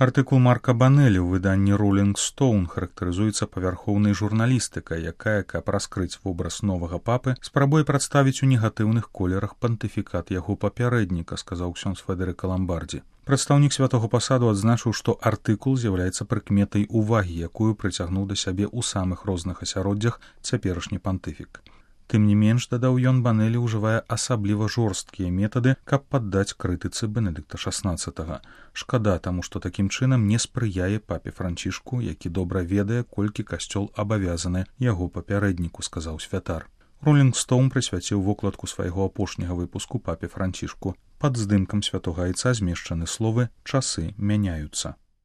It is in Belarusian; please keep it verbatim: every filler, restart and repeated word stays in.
Артыкул Марка Банелі ў выданні Rolling Stone характарызуецца павярхоўнай журналістыкай, якая, каб раскрыць вобраз новага папы, спрабуе прадставіць у негатыўных колерах пантыфікат яго папярэдніка, сказаў ксёндз Федэрыка Ламбардзі. Прадстаўнік святога пасаду адзначыў, што артыкул з'яўляецца прыкметай увагі, якую прыцягнуў да сябе ў самых розных асяроддзях цяперашні пантыфік. Тым не менш, дадаў ён, Банелі ўжывае асабліва жорсткія метады, каб паддаць крытыцы Бенедыкта шаснаццатага. Шкада, таму што такім чынам не спрыяе папе Францішку, які добра ведае, колькі касцёл абавязаны яго папярэдніку, сказаў святар. Rolling Stone прысвяціў вокладку свайго апошняга выпуску папе Францішку. Пад здымкам святога айца змешчаны словы «Часы мяняюцца».